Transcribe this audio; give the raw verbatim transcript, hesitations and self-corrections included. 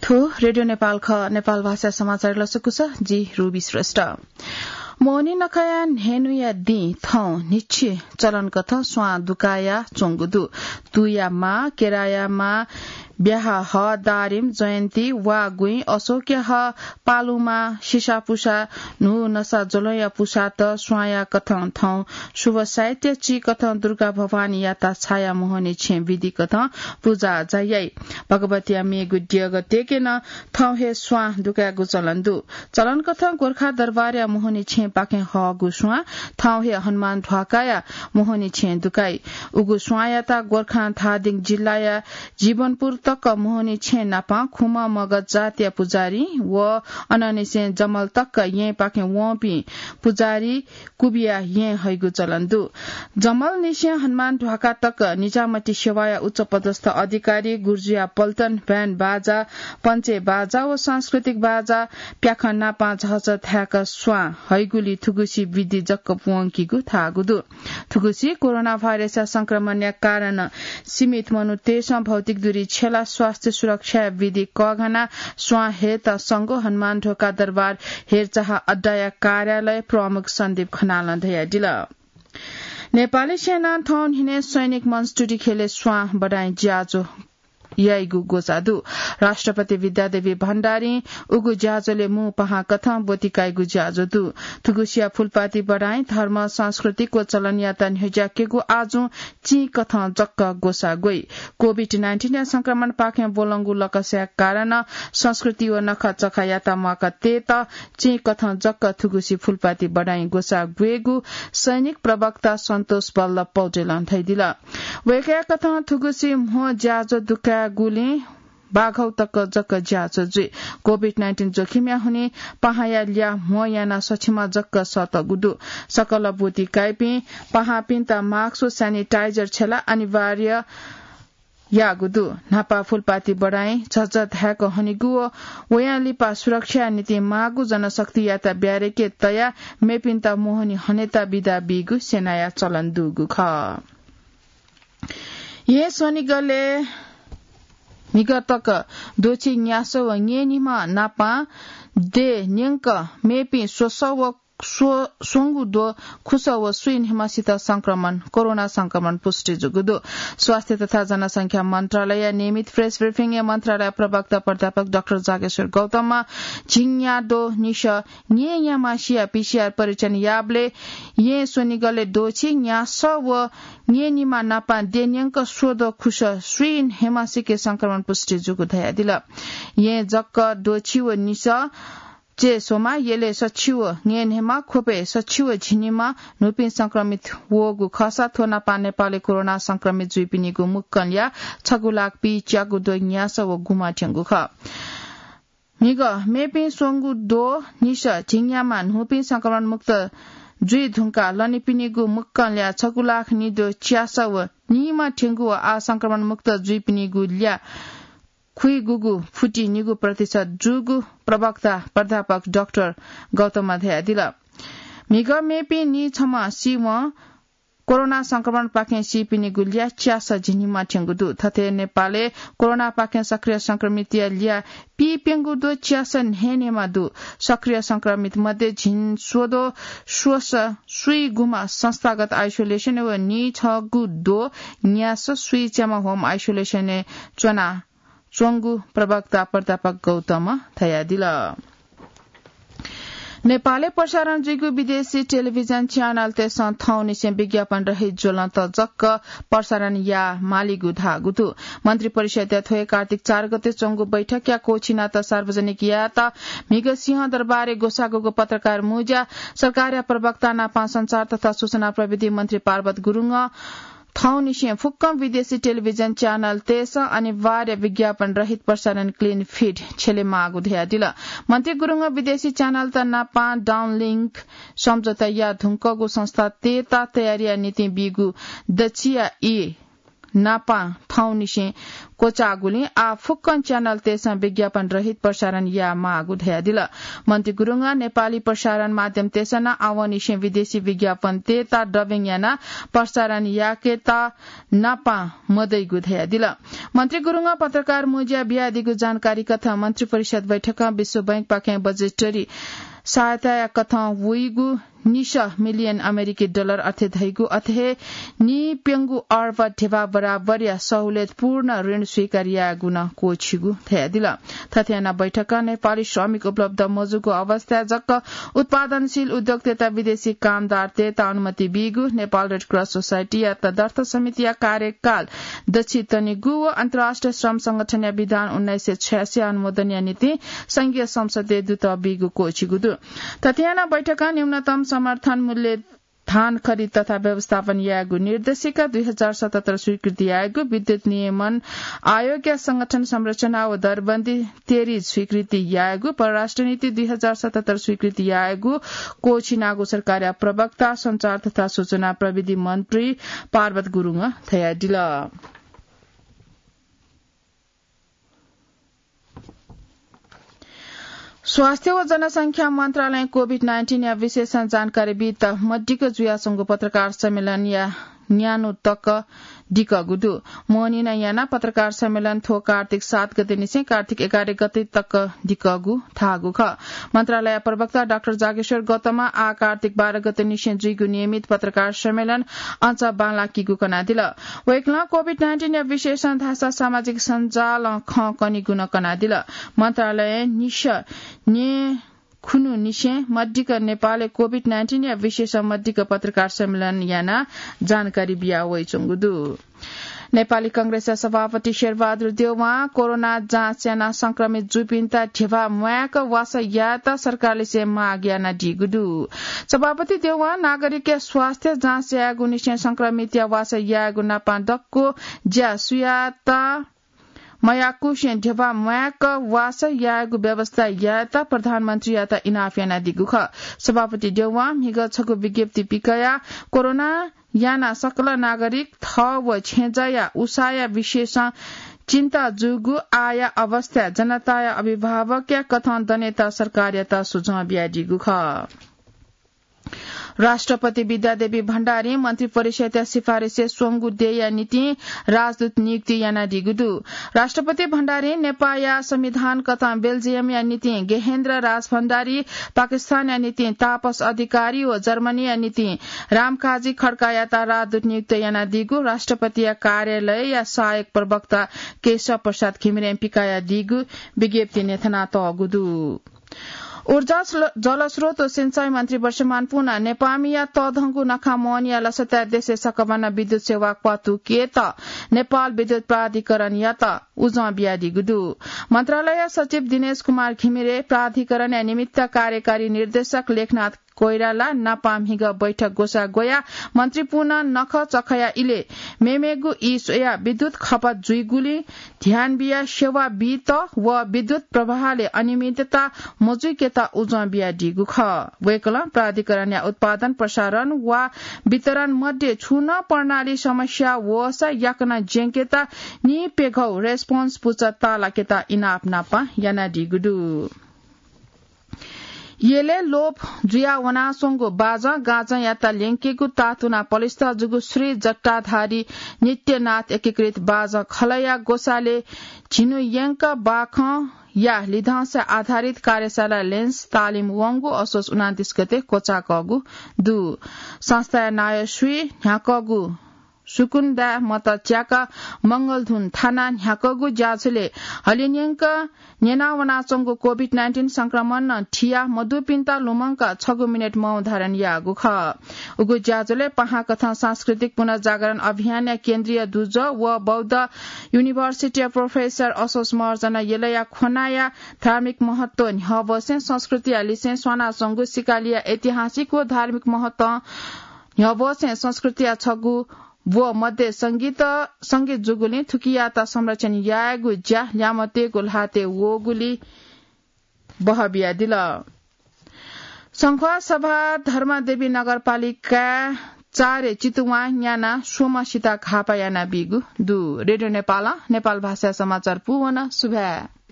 थ्व रेडियो नेपाल खः। नेपाल भाषा समाचार लसकुस, जि रुबी श्रेष्ठ। मोहनी नखःया न्हय्‌न्हुया दिं थौं न्हिच्छि चलन कथं स्वां दुकाया च्वंगु दु। तुया मां, केराया मां, ब्याहा ह, दारिम, जयन्ती, वा गुइँ, अशोकया ह, पालुमा, सिसापुसा, न्हू नसा ज्वलंया पुसात स्वांया कथं थौं शुभ साहित्य ची कथं दुर्गा भवानीयात छाया मोहनी छेँ विधि कथं पुजा जायाइ। भगवतीया मेगु द्यःगः तेके नं थौं हे स्वां दुकायेगु चलन दु। चलन कथं गोर्खा दरबारया मोहनी छेँपाखें हःगु स्वां थौं हे हनुमान ध्वाखाया मोहनी छेँ दुकाइ। उगु स्वांयात गोर्खां धादिङ जिल्लाया जीवनपुर तक मोहनी छेँ नापं खुम्ह मगध जातिया पुजारी व अनंनिसें जमल तक येँपाखें वंपिं पुजारी कुबिया येँ हइगु चलन दु। जमलनिसें हनुमान ध्वाखा तक निजामती सेवाया उच्च पदस्थ अधिकारी, गुर्जुया पल्टन, ब्यान्ड बाजा, पञ्चे बाजा व सांस्कृतिक बाजा प्याखं नापं झःझः धाय्‌क स्वां हइगुलिं थुगुसी विधि जक प्वंकीगु धाःगु दु। थुगुसी कोरोना भाइरसया संक्रमणया कारणं सीमित मनूतय्‌सं भौतिक दूरी छ्यला स्वास्थ्य सुरक्षाया विधि कःघानाः स्वां हयेत संगु हनुमान ध्वाखा दरबार हेरचाह अड्डाया कार्यालय प्रमुख सन्दीप खनालं धयादिल। नेपाली सेनां थौं न्हिनय् सैनिक मनस्तुति ख्यलय् स्वां बढाइँ ज्याझ्वः याइगु ग्वसाः दु। राष्ट्रपति विद्यादेवी भण्डारीं उगु ज्याझ्वलय् मू पाहां कथं ब्वति काइगु ज्याझ्वः दु। थुगुसिया फुलपाती बढाइँ धर्म, सांस्कृतिक व चलनयात न्ह्यज्याकेगु आजुं चिं कथं जक ग्वसाः ग्वइ। कोभिड नाइन्टिनया संक्रमणपाखें ब्वलंगु लकस्या कारणं संस्कृति व नखःचखःयात म्वाका तयेत चिं कथं जक थुगुसी फुलपाती बढाइँ ग्वसाः ग्वयेगु सैनिक प्रवक्ता सन्तोष बल्ल पौडेलं धयादिल। वय्‌कःया कथं थुगुसी म्हो ज्याझ्वः दुकायेगुलिं बाघौ तक जक ज्याझ्वः जुइ। कोभिड नाइन्टिन जोखिमया हुनिं पाहांया ल्याः म्हो यानाः सछिमा जक सःतःगु दु। सकल ब्वति काइपिं पाहांपिन्त मास्क व स्यानिटाइजर छ्यला अनिवार्य याःगु दु। न्हापा फुलपाती बढाइँ झःझः धाय्‌क हनेगु व वयां लिपा सुरक्षाया निंतिं माःगु जनशक्तियात ब्यारेके तयाः मेपिन्त मोहनी हनेत बिदा बीगु सेनाया चलन दुगु खः। येँ स्वनिगलय् म्हिगः तक द्वःछि न्यासः व न्येन्हिम्ह नापं देय् न्यंक मेपिं स्वसः व स्व-, स्वंगु द्वः खुसः व स्वीन्हिम्हसित संक्रमण, कोरोना संक्रमण पुष्टि जूगु दु। स्वास्थ्य तथा जनसंख्या मन्त्रालयया नियमित प्रेस ब्रिफिङय् मन्त्रालय प्रवक्ता प्राध्यापक डाक्टर जागेश्वर गौतमं झिंन्याद्वः निसः न्येन्याम्हसिया पीसीआर परीक्षण याःबलय् येँ स्वनिगलय् द्वःछि न्यासः व न्येन्हिम्ह नापं देय् न्यंक स्वद्वः खुसः स्वीन्हिम्हसिके संक्रमण पुष्टि जूगु धयादिल। येँ जक द्वःछि व निसः चय् स्वम्ह, यलय् सछि व न्येन्हिम्ह, ख्वपय् सछि व झिंनिम्ह न्हूपिं संक्रमित वःगु खःसा थ्व नापं नेपालय् कोरोना संक्रमित जुइपिनिगु मुक्कं ल्याः छगू लाख पीच्यागू द्वः न्यासः व गुम्ह थ्यंगु खः। म्हिगः मेपिं स्वंगू द्वः निसः झिंन्याम्ह न्हूपिं संक्रमण मुक्त जुइ धुंकाः लनीपिनिगु मुक्कं ल्याः छगू लाख निद्वः च्यासः व निम्ह थ्यंगु व आः संक्रमण मुक्त जुइपिनिगु ल्याः खुइगूगु फुति निगू प्रतिशत जूगु प्रवक्ता प्राध्यापक डाक्टर गौतमं धयादिल। म्हिगः मेपिं नीछम्ह सीवं कोरोना संक्रमणपाखें सीपिनिगु ल्याः च्यासः झिंनिम्ह थ्यंगु दु। थथे नेपालय् कोरोनापाखें सक्रिय संक्रमितया ल्याः पीप्यंगू द्वः च्यासः न्हय्‌न्हय्‌म्ह दु। सक्रिय संक्रमित मध्ये झिंस्वद्वः स्वसः स्वीगुम्ह संस्थागत आइसोलेसनय् व नीछगू द्वः न्यासः स्वीच्याम्ह होम आइसोलेसनय् च्वना च्वंगु प्रवक्ता प्राध्यापक गौतमं धयादिल। नेपालय् प्रसारण जुइगु विदेशी टेलिभिजन च्यानलतय्‌सं थौंनिसें विज्ञापन रहित ज्वलंत जक प्रसारण याये मालीगु धाःगु दु। मन्त्रिपरिषद्या थ्व हे कार्तिक चार गते च्वंगु बैठकया क्वःछिनात सार्वजनिक यायेत म्हिगः सिंहदरबारय् ग्वसाःगु पत्रकार मुँज्यां सरकारया प्रवक्ता नापं सञ्चार तथा सूचना प्रविधि मन्त्री पार्वत गुरुङं थौंनिसें फुक्कं विदेशी टेलिभिजन च्यानलतय्‌सं अनिवार्य विज्ञापन रहित प्रसारण क्लिन फिड छ्यले माःगु धयादिल। मन्त्री गुरुङं विदेशी च्यानलत नापं डाउनलिंक सम्झौता याये धुंकूगु संस्थातय्‌त तयारीया निंतिं बीगु दच्छिया ई नापां थौंनिसें क्वचाःगुलिं आः फुक्कं च्यानलतय्सं विज्ञापन रहित प्रसारण यायेमाःगु धयादिल। मन्त्री गुरुङं नेपाली प्रसारण माध्यमतय्सं नं आवंनिसें विदेशी विज्ञापनतय्त dubbing यानाः प्रसारण याकेत नापां मदइगु धयादिल। मन्त्री गुरुङं पत्रकार मुँज्यां बियादीगु जानकारी कथं मन्त्री परिषद बैठकं विश्व बैंकपाखें budgetary सहायताया कथं वइगु निसः million अमेरिकी dollar अथे धइगु अथे हे नीप्यंगू अर्ब ध्यबा बराबरया सहुलियतपूर्ण ऋण स्वीकार यायेगु नं क्वःछिगु धयादिल। थथे यानाः बैठकं नेपाली श्रमिक उपलब्ध मजूगु अवस्थाय् जक उत्पादनशील उद्योगतय्त विदेशी कामदारतय्त अनुमति बीगु, नेपाल रेड क्रस सोसाइटीया तदर्थ समितिया कार्यकाल दछि तनेगु व अन्तर्राष्ट्रिय श्रम संगठनया विधान उन्नाइस सय छयासी अनुमोदनया निंतिं संघीय संसदय् दुत बीगु क्वःछिगु दु। थथे यानाः बैठकं न्यूनतम समर्थन मूल्य धान खरिद तथा व्यवस्थापन यायेगु निर्देशिका दुई हजार सतहत्तर स्वीकृति यायेगु, विद्युत नियमन आयोगया संगठन संरचना व दरबन्दी तेरी स्वीकृति यायेगु, परराष्ट्र नीति दुई हजार सतहत्तर स्वीकृति यायेगु क्वःछिनागु सरकारया प्रवक्ता, सञ्चार तथा सूचना प्रविधि मन्त्री पार्वत गुरुङं धयादिल। स्वास्थ्य व जनसंख्या मन्त्रालयं COVID nineteen या विशेषं जानकारी बीत मदिक्क जुयाच्वंगु पत्रकार सम्मेलनया न्यान्हु तक दिकःगु दु। मोहनिं यानाः पत्रकार सम्मेलन थ्व कार्तिक सात गते निसें कार्तिक एघार गते तक दिकःगु धाःगु खः। मन्त्रालय प्रवक्ता डाक्टर जागेश्वर गौतमं आः कार्तिक बाह्र गते निसें जुइगु नियमित पत्रकार सम्मेलन अझ बांलाकीगु कनादिल। वय्कलं COVID nineteen या विशेषं धाःसा सामाजिक सञ्जालं खँ कनीगु नं कनादिल। मन्त्रालयं निसः न्येखुन्हु निसें मदिक्क नेपालय् COVID nineteen या विशेषं मदिक्क पत्रकार सम्मेलन यानाः जानकारी बिया वइच्वंगु दु। नेपाली कांग्रेसया सभापति शेरबहादुर देउवां कोरोना जाँच यानाः संक्रमित जूपिन्त ध्यबा म्वायेक वासः यायेत सरकारलिसे माग यानादीगु दु। सभापति देउवां नागरिकया स्वास्थ्य जाँच यायेगु निसें संक्रमितया वासः यायेगु नापं दक्व ज्या सुयात मयाकुसें ध्यबा म्वायेक वासः यायेगु व्यवस्था यायेत प्रधानमन्त्रीयात इनाप यानादीगु खः। सभापति देउवां म्हिगः छगू विज्ञप्ति पिकयाः कोरोना यानाः सकल नागरिक थः व छेँजःया उसाँया विशेषं चिन्ता जूगु आःया अवस्थाय् जनताया अभिभावकया कथं दनेत सरकारयात सुझाव बियादीगु खः। राष्ट्रपति विद्यादेवी भण्डारीं मन्त्रिपरिषदया सिफारिसय् स्वंगू देय्या निंतिं राजदूत नियुक्ति यानादीगु दु। राष्ट्रपति भण्डारीं नेपाःया संविधान कथं बेल्जियमया निंतिं गेहेन्द्र राजभण्डारी, पाकिस्तानया निंतिं तापस अधिकारी व जर्मनीया निंतिं रामकाजी खड्कायात राजदूत नियुक्त यानादीगु राष्ट्रपतिया कार्यालयया सहायक प्रवक्ता केशव प्रसाद घिमिरें पिकायादीगु विज्ञप्तिइ न्ह्यथनातःगु दु। ऊर्जा स्ल-, जलस्रोत व सिँचाइ मन्त्री वर्षमान पुनां नेपाःमिया तःधंगु नखा मोहनिया लसताय् देशय् सकभनं विद्युत सेवा क्वातुकेत नेपाल विद्युत प्राधिकरणयात उजं बियादीगु दु। मन्त्रालय सचिव दिनेश कुमार घिमिरे, प्राधिकरणया निमित्त कार्यकारी निर्देशक लेखनाथ कोइराला नापं म्हिगः बैठक ग्वसाः ग्वयाः मन्त्री पुनां नखःचखःया इलय् मेमेगु ई स्वयाः विद्युत खपत जुइगुलिं ध्यान बियाः सेवा बीत व विद्युत प्रवाहलय् अनियमितता मजुइकेत उजं बियादीगु खः। वय्कलं प्राधिकरणया उत्पादन, प्रसारण वा वितरण मध्ये छुं नं प्रणाली समस्या वःसा याकनं ज्यंकेत निइप्यघौ response पुचः ताःलाकेत इनाप नापं यानादीगु दु। यलय् लोप जुया वनाच्वंगु बाजं गाजंयात ल्यंकेगु ताःतुना पलिस्था जूगु श्री जटाधारी नित्यनाथ एकीकृत बाजं खलःया ग्वसालय् झिन्हु यंक बाखंया लिधंसा आधारित कार्यशाला lens तालिम वंगु असोज उनान्तीस गते क्वचाःकःगु दु। संस्थाया नायः श्री न्ह्याकःगु सुकुन्दा मत च्याकाः मंगलधुन थानाः न्ह्याकःगु ज्याझ्वलय् हलिं यंक न्यनावनाच्वंगु COVID nineteen संक्रमणं थिया मदुपिन्त लुमंकाः छगू मिनेट मौन धारण याःगु खः। उगु ज्याझ्वलय् पाहां कथं सांस्कृतिक पुनर्जागरण अभियानया केन्द्रीय दुजः व बौद्ध युनिभर्सिटीया प्रोफेसर असोज महर्जन यलया ख्वनाया धार्मिक महत्व न्ह्यवसें संस्कृतिया लिसें स्वानाच्वंगु सिकालिया ऐतिहासिक व धार्मिक महत्व न्ह्यवसें संस्कृतिया छगू व मध्ये संगीत, संगीत जूगुलिं थुकियात संरक्षण यायेगु ज्या ल्यामतेगु ल्हातय् वःगुलिं बहबियादिल। संख्वासभा धर्मदेवी नगरपालिकाय् चारे चितुवां न्याना स्वम्ह सिता घाःपाः यानाबीगु दु। रेडियो नेपालं नेपाल भाषाय् समाचार पूवन। सुभाय्।